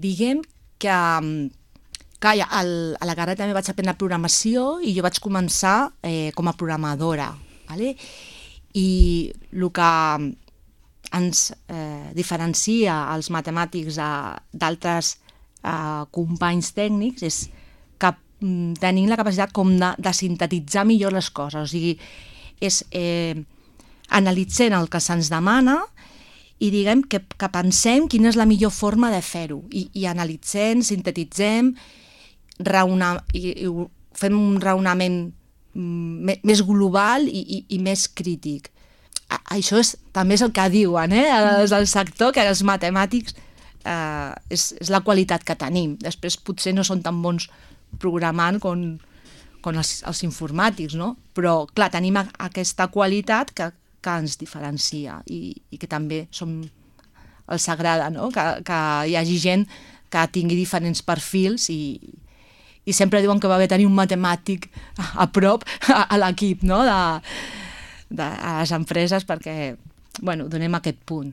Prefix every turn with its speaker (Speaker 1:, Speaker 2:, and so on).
Speaker 1: Diguem que a la carrera també vaig aprendre programació i jo vaig començar com a programadora. Vale? I el que ens diferencia els matemàtics d'altres companys tècnics és que tenim la capacitat com de sintetitzar millor les coses. O sigui, és analitzant el que se'ns demana i diguem que pensem quina és la millor forma de fer-ho. I analitzem, sintetitzem, fem un raonament més global i més crític. Això també és el que diuen del sector, que els matemàtics és la qualitat que tenim. Després potser no són tan bons programant com els informàtics, no? Però clar, tenim aquesta qualitat que ens diferencia i que també els agrada, no? Que hi hagi gent que tingui diferents perfils i sempre diuen que va bé tenir un matemàtic a prop a l'equip, no? A les empreses perquè donem aquest punt.